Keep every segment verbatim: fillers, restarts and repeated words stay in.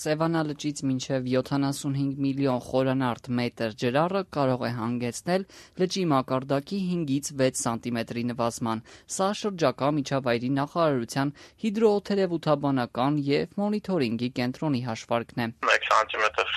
Սևանա լճից մինչև յոթանասունհինգ միլիոն խորանարդ մետր ջրառը կարող է հանգեցնել լճի մակարդակի հինգից վեց սանտիմետրի նվազման։ Սա շրջակա միջավայրի նախարարության հիդրոօթերևութաբանական և մոնիթորինգի կենտրոնի հաշվարկն է։ մեկ սանտիմետր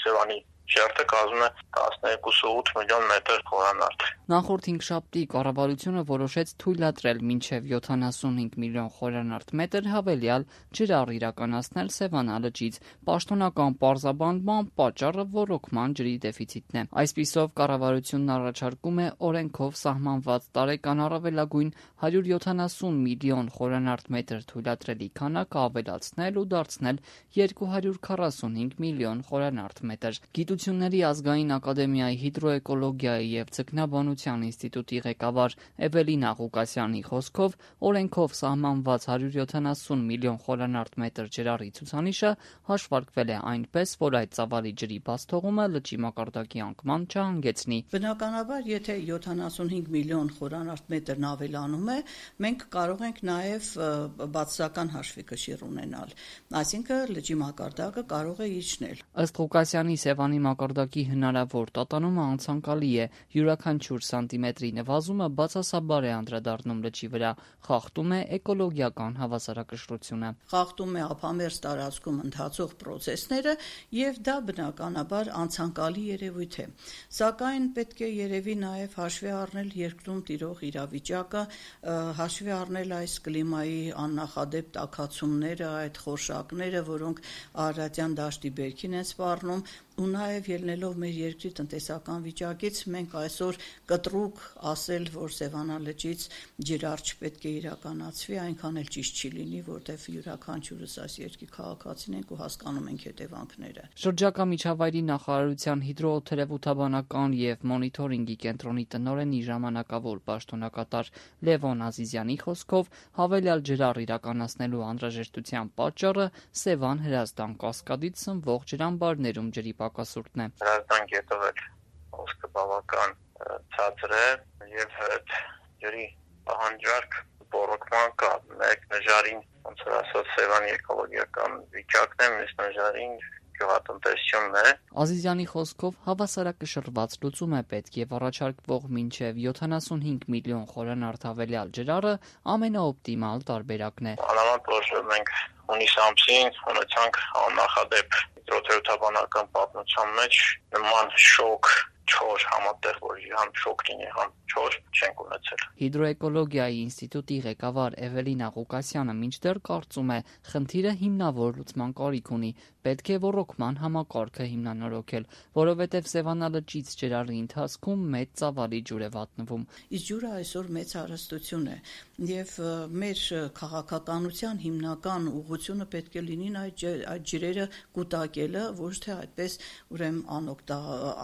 Սևանի շերտը կազմում է տասներկուսուութ միլիոն մետր խորանարդ։ Նախորդ հինգշաբթի կառավարությունը որոշեց թույլատրել մինչև յոթանասունհինգ միլիոն խորանարդ մետր հավելյալ ջրառ իրականացնել Սևանա լճից։ Պաշտոնական պարզաբանման պատճառը ոռոգման ջրի դեֆիցիտն է։ Այսպիսով կառավարությունն առաջարկում է օրենքով սահմանված տարեկան առավելագույն հարյուր յոթանասուն միլիոն խորանարդ մետր թույլատրելի քանակը ավելացնել ու դարձնել երկու հարյուր քառասունհինգ միլիոն խորանարդ մետր։ Գիտությունների ազգային ակադեմիայի հիդրոէկոլոգիայի և ձկնաբանության ինստիտուտի ղեկավար Էվելինա Ղուկասյանի խոսքով օրենքով սահմանված հարյուր յոթանասուն միլիոն խորանարդ մետր ջրառի ցուցանիշը հաշվարկվել է այնպես, որ այդ ծավալի ջրի բացթողումը լճի մակարդակի անկման չհանգեցնի։ Բնականաբար, եթե յոթանասունհինգ միլիոն խորանարդ մետրն ավելանում է, մենք կարող ենք նաև բացասական հաշվի կշիռ ունենալ, այսինքն լճի մակարդակը կարող է իջնել։ Ըստ Ղուկասյանի, Սևանի մակարդակի հնարավոր տատանումը անցանկալի է։ Յուրաքանչյուր սանտիմետրի նվազումը բացասաբար է անդրադառնում լճի վրա, խախտում է էկոլոգիական հավասարակշռությունը։ Խախտում է ափամերձ տարածքում ընթացող պրոցեսները և դա բնականաբար անցանկալի երևույթ է։ Սակայն պետք է երևի նաև հաշվի առնել երկրում տիրող իրավիճակը, հաշվի առնել այս կլիմայի աննախադեպ տաքացումները, այդ խորշակները, որոնք Արարատյան դաշտի բերքին են սպառնում, ու նաև ելնելով մեր երկրի տնտեսական վիճակից, մենք այսօր կտրուկ ասել, որ Սևանա լճից ջրառ չպետք է իրականացվի, այնքան էլ ճիշտ չի լինի, որտեղ յուրաքանչյուրս այս երկրի քաղաքացին ենք ու հասկանում ենք հետևանքները։ Շրջակա միջավայրի նախարարության հիդրոօթերևութաբանական և մոնիթորինգի կենտրոնի տնօրենի ժամանակավոր պաշտոնակատար Լևոն Ազիզյանի խոսքով հավելյալ ջրառ իրականացնելու անհրաժեշտության պատճառը Սևան Հրազդան կասկադից սնվող ջրամբարներում ջրի պակասուրդն է։ Հրազդան գետով էլ հոսքը բավական ցածր է և այդ ջրի պահանջարկ ոռոգման կա։ Մեկ նժարին, ոնց որ ասած, Սևանի էկոլոգիական վիճակն է, մյուս նժարին գյուղատնտեսությունն է։ Ազիզյանի խոսքով հավասարակշռված լուծում է պետք և առաջարկվող մինչև յոթանասունհինգ միլիոն խորանարդ հավելյալ ջրառը ամենաօպտիմալ տարբերակն է։ Մանավանդ որ մենք հունիս ամսին ունեցանք աննախադեպ հիդրոօթերևութաբանական պատմության մեջ նման շոկ չոր համատեղ, որ համ շոկ լինի, համ չոր չենք ունեցել։ Հիդրոէկոլոգիայի ինստիտուտի ղեկավար Էվելինա Ղուկասյանը մինչդեռ կարծում է, խնդիրը հիմնավոր լուծման կարիք ունի, պետք է ոռոգման համակարգը հիմնանորոգել, որովհետև Սևանա լճից ջրառի ընթացքում մեծ ծավալի ջուր է վատնվում։ Իսկ ջուրը այսօր մեծ հարստություն է և մեր քաղաքականության հիմնական ուղղությունը պետք է լինի այդ ջրերը կուտակելը, ոչ թե այդպես ուրեմն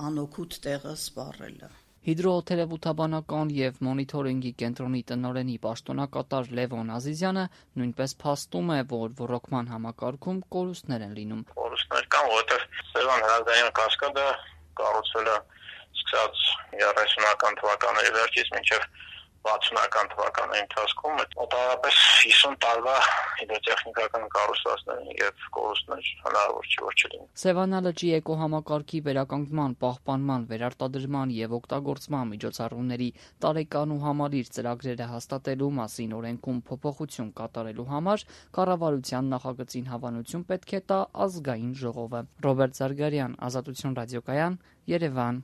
անօգուտ տեղը սպառելը։ Հիդրոօթերևութաբանական և մոնիթորինգի կենտրոնի տնօրենի պաշտոնակատար Լևոն Ազիզյանը նույնպես փաստում է, որ ոռոգման համակարգում կորուստներ են լինում։ Կորուստներ կան, որովհետև Սևան Հրազդանյան կասկադը կառուցվել է սկսած երեսունական թվականների վերջից մինչև վաթսունական թվականների ընթացքում մոտավորապես հիսուն տարվա հիդրոտեխնիկական կառուցվածքներ և կորուստներ հնարավոր չի որ չլինի։ Սևանա լճի էկոհամակարգի վերականգնման, պահպանման, վերարտադրման և օգտագործման միջոցառումների տարեկան ու համալիր ծրագրերը հաստատելու մասին օրենքում փոփոխություն կատարելու համար կառավարության նախագծին հավանություն պետք է տա ազգային ժողովը։ Ռոբերտ Զարգարյան, Ազատություն ռադիոկայան, Երևան։